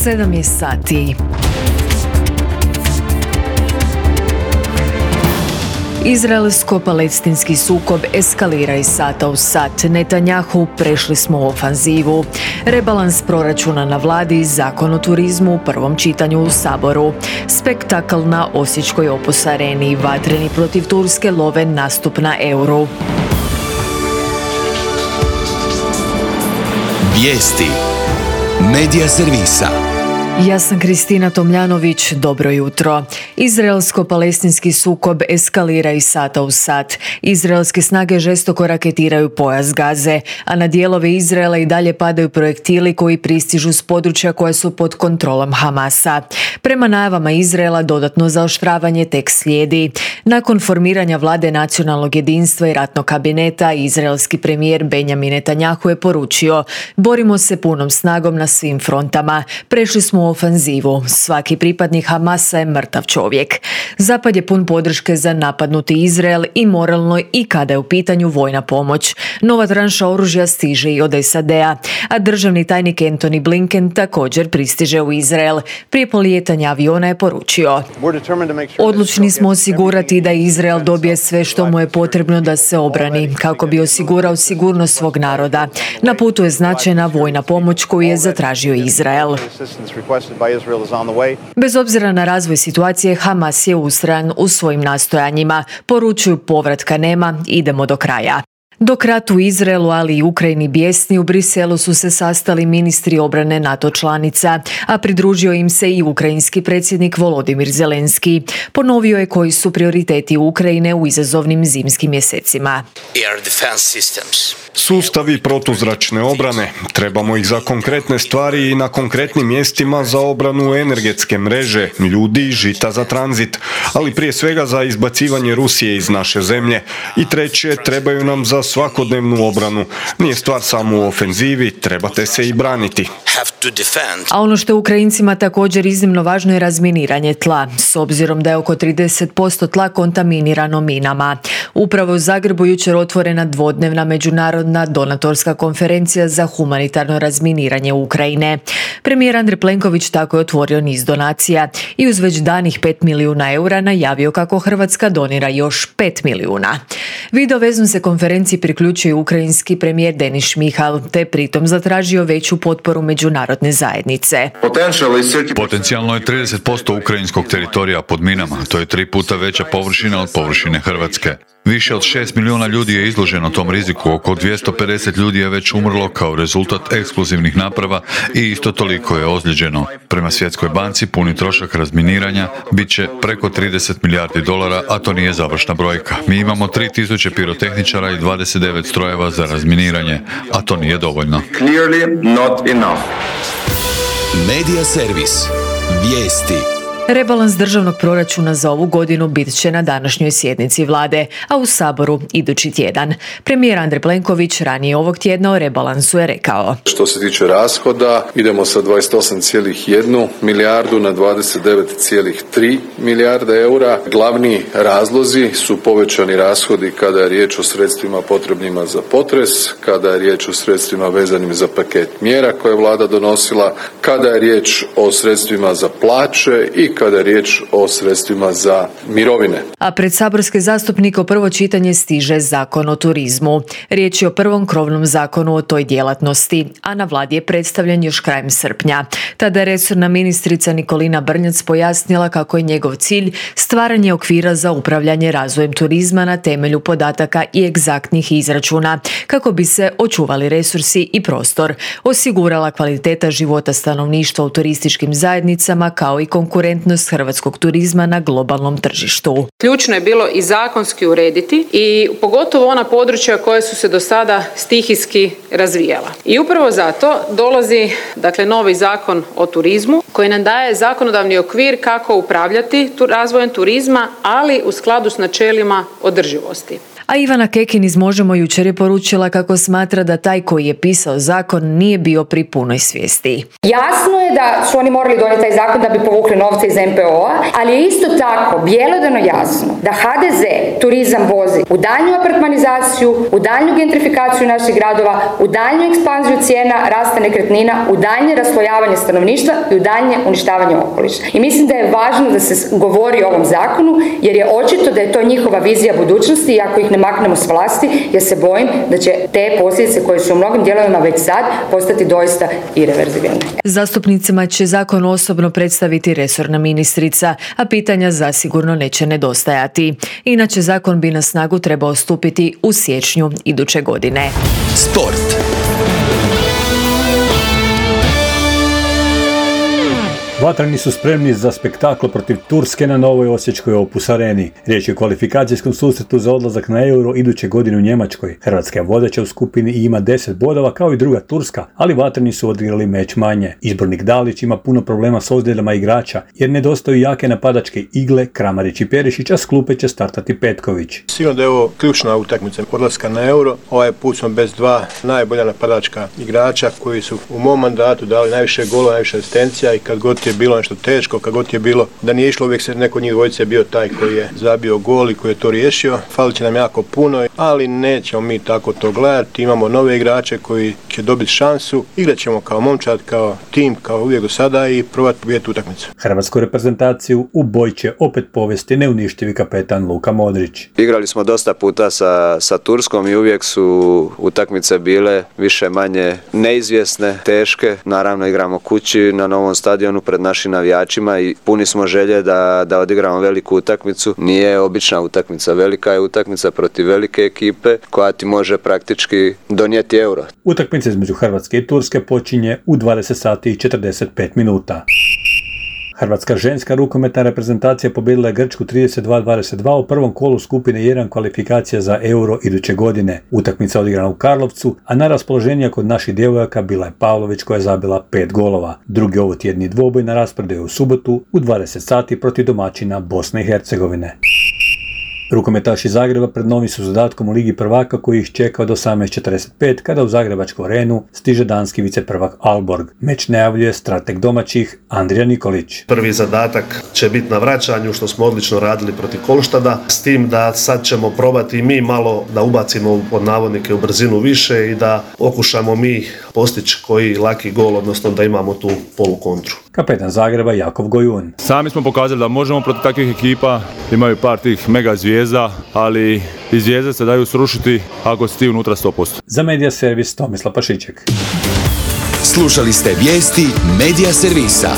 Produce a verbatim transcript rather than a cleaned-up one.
sedam je sati. Izraelsko-palestinski sukob eskalira iz sata u sat. Netanjahu, prešli smo u ofanzivu. Rebalans proračuna na vladi, zakon o turizmu u prvom čitanju u Saboru. Spektakl na Osječkoj Opus areni, vatreni protiv Turske love nastup na Euru. Vijesti Medija servisa. Ja sam Kristina Tomljanović, dobro jutro. Izraelsko-palestinski sukob eskalira iz sata u sat. Izraelske snage žestoko raketiraju pojas Gaze, a na dijelove Izraela i dalje padaju projektili koji pristižu s područja koja su pod kontrolom Hamasa. Prema najavama Izraela dodatno zaoštravanje tek slijedi. Nakon formiranja vlade nacionalnog jedinstva i ratnog kabineta, izraelski premijer Benjamin Netanjahu je poručio: borimo se punom snagom na svim frontama. Prešli smo u ofanzivu. Svaki pripadnik Hamasa je mrtav čovjek. Zapad je pun podrške za napadnuti Izrael i moralno i kada je u pitanju vojna pomoć. Nova tranša oružja stiže i od S A D-a, a državni tajnik Antony Blinken također pristiže u Izrael. Prije polijetanja aviona je poručio: odlučni smo osigurati da Izrael dobije sve što mu je potrebno da se obrani, kako bi osigurao sigurnost svog naroda. Na putu je značajna vojna pomoć koju je zatražio Izrael. Bez obzira na razvoj situacije, Hamas je ustrajan u svojim nastojanjima. Poručuju: povratka nema, idemo do kraja. Dok rat u Izraelu, ali i Ukrajini bijesni, u Briselu su se sastali ministri obrane NATO članica, a pridružio im se i ukrajinski predsjednik Volodimir Zelenski. Ponovio je koji su prioriteti Ukrajine u izazovnim zimskim mjesecima. Sustavi protuzračne obrane. Trebamo ih za konkretne stvari i na konkretnim mjestima za obranu energetske mreže, ljudi i žita za tranzit, ali prije svega za izbacivanje Rusije iz naše zemlje. I treće, trebaju nam za svakodnevnu obranu. Nije stvar samo u ofenzivi, trebate se i braniti. A ono što je Ukrajincima također iznimno važno je razminiranje tla, s obzirom da je oko trideset posto tla kontaminirano minama. Upravo u Zagrebu jučer otvorena dvodnevna međunarodna donatorska konferencija za humanitarno razminiranje Ukrajine. Premijer Andrej Plenković tako je otvorio niz donacija i uz već danih pet milijuna eura najavio kako Hrvatska donira još pet milijuna. Videovezom se konferenciji priključio ukrajinski premijer Denis Šmihal, te pritom zatražio veću potporu međunarodne zajednice. Potencijalno je trideset posto ukrajinskog teritorija pod minama, to je tri puta veća površina od površine Hrvatske. Više od šest milijuna ljudi je izloženo tom riziku, oko dvjesto pedeset ljudi je već umrlo kao rezultat eksplozivnih naprava i isto toliko je ozlijeđeno. Prema Svjetskoj banci puni trošak razminiranja bit će preko trideset milijardi dolara, a to nije završna brojka. Mi imamo tri tisuće pirotehničara i dvadeset devet strojeva za razminiranje, a to nije dovoljno. Medija servis. Vijesti. Rebalans državnog proračuna za ovu godinu bit će na današnjoj sjednici vlade, a u Saboru idući tjedan. Premijer Andrej Plenković ranije ovog tjedna o rebalansu je rekao: što se tiče rashoda, idemo sa dvadeset osam zarez jedna milijardu na dvadeset devet zarez tri milijarde eura. Glavni razlozi su povećani rashodi kada je riječ o sredstvima potrebnima za potres, kada je riječ o sredstvima vezanim za paket mjera koje je vlada donosila, kada je riječ o sredstvima za plaće i kada je riječ o sredstvima za mirovine. A pred saborske zastupnike u prvo čitanje stiže zakon o turizmu. Riječ je o prvom krovnom zakonu o toj djelatnosti, a na vladi je predstavljen još krajem srpnja. Tada je resorna ministrica Nikolina Brnjac pojasnila kako je njegov cilj stvaranje okvira za upravljanje razvojem turizma na temelju podataka i egzaktnih izračuna, kako bi se očuvali resursi i prostor, osigurala kvaliteta života stanovništva u turističkim zajednicama kao i konkurentnost hrvatskog turizma na globalnom tržištu. Ključno je bilo i zakonski urediti i pogotovo ona područja koja su se do sada stihijski razvijala. I upravo zato dolazi dakle novi zakon o turizmu koji nam daje zakonodavni okvir kako upravljati tu razvojem turizma, ali u skladu s načelima održivosti. A Ivana Kekin iz Možemo jučer je poručila kako smatra da taj koji je pisao zakon nije bio pri punoj svijesti. Jasno je da su oni morali donijeti taj zakon da bi povukli novce iz em pe o-a, ali je isto tako bjelodano jasno da ha de ze turizam vozi u daljnju apartmanizaciju, u daljnju gentrifikaciju naših gradova, u daljnju ekspanziju cijena rasta nekretnina, u daljnje raslojavanje stanovništva i u daljnje uništavanje okoliša. I mislim da je važno da se govori o ovom zakonu, jer je očito da je to njihova vizija budućnosti i ako ih ne maknemo s vlasti, ja se bojim da će te posljedice koje su u mnogim dijelovima već sad postati doista ireverzibilne. Zastupnicima će zakon osobno predstaviti resorna ministrica, a pitanja zasigurno neće nedostajati. Inače, zakon bi na snagu trebao stupiti u siječnju iduće godine. Sport. Vatreni su spremni za spektakl protiv Turske na Novoj Osječkoj Opus Areni. Riječ je o kvalifikacijskom susretu za odlazak na Euro iduće godine u Njemačkoj. Hrvatska je vodeća u skupini i ima deset bodova kao i druga Turska, ali vatreni su odigrali meč manje. Izbornik Dalić ima puno problema s ozljedama igrača jer nedostaju jake napadačke igle, Kramarić i Perišić, a s klupe će startati Petković. Sigurno da je ovo ključna utakmica odlaska na Euro. Ovaj put smo bez dva najbolja napadačka igrača koji su u mom mandatu dali najviše golova, najviše asistencija i kad god je bilo nešto teško, kad god je bilo da nije išlo, uvijek se neko od njih dvojice je bio taj koji je zabio gol i koji je to riješio. Falit će nam jako puno, ali nećemo mi tako to gledati. Imamo nove igrače koji će dobiti šansu. Igrat ćemo kao momčad, kao tim, kao uvijek do sada i probati pobijediti utakmicu. Hrvatsku reprezentaciju u boj će opet povesti neuništivi kapetan Luka Modrić. Igrali smo dosta puta sa, sa Turskom i uvijek su utakmice bile više manje neizvjesne, teške. Naravno igramo kući na novom stadionu pred našim navijačima i puni smo želje da, da odigramo veliku utakmicu. Nije obična utakmica, velika je utakmica protiv velike ekipe koja ti može praktički donijeti Euro. Utakmica između Hrvatske i Turske počinje u dvadeset sati i četrdeset pet minuta. Hrvatska ženska rukometna reprezentacija pobijedila je Grčku trideset dva dvadeset dva u prvom kolu skupine jedan kvalifikacija za Euro iduće godine. Utakmica odigrana u Karlovcu, a najraspoloženija kod naših djevojaka bila je Pavlović koja je zabila pet golova. Drugi ovotjedni dvoboj na rasporedu je u subotu u dvadeset sati protiv domaćina Bosne i Hercegovine. Rukometaši Zagreba pred novim su zadatkom u Ligi prvaka koji ih čeka od osamnaest četrdeset pet kada u Zagrebačku arenu stiže danski viceprvak Aalborg. Meč najavljuje strateg domaćih Andrija Nikolić. Prvi zadatak će biti na vraćanju, što smo odlično radili protiv Kolštada, s tim da sad ćemo probati i mi malo da ubacimo pod navodnike u brzinu više i da okušamo mi postići koji laki gol, odnosno da imamo tu polukontru. Kapetan Zagreba Jakov Gojun. Sami smo pokazali da možemo protiv takvih ekipa, imaju par tih mega zvijezda, ali i zvijezde se daju srušiti ako si ti unutra sto posto. Za Medija Servis Tomislav Pašiček. Slušali ste vijesti Medija Servisa.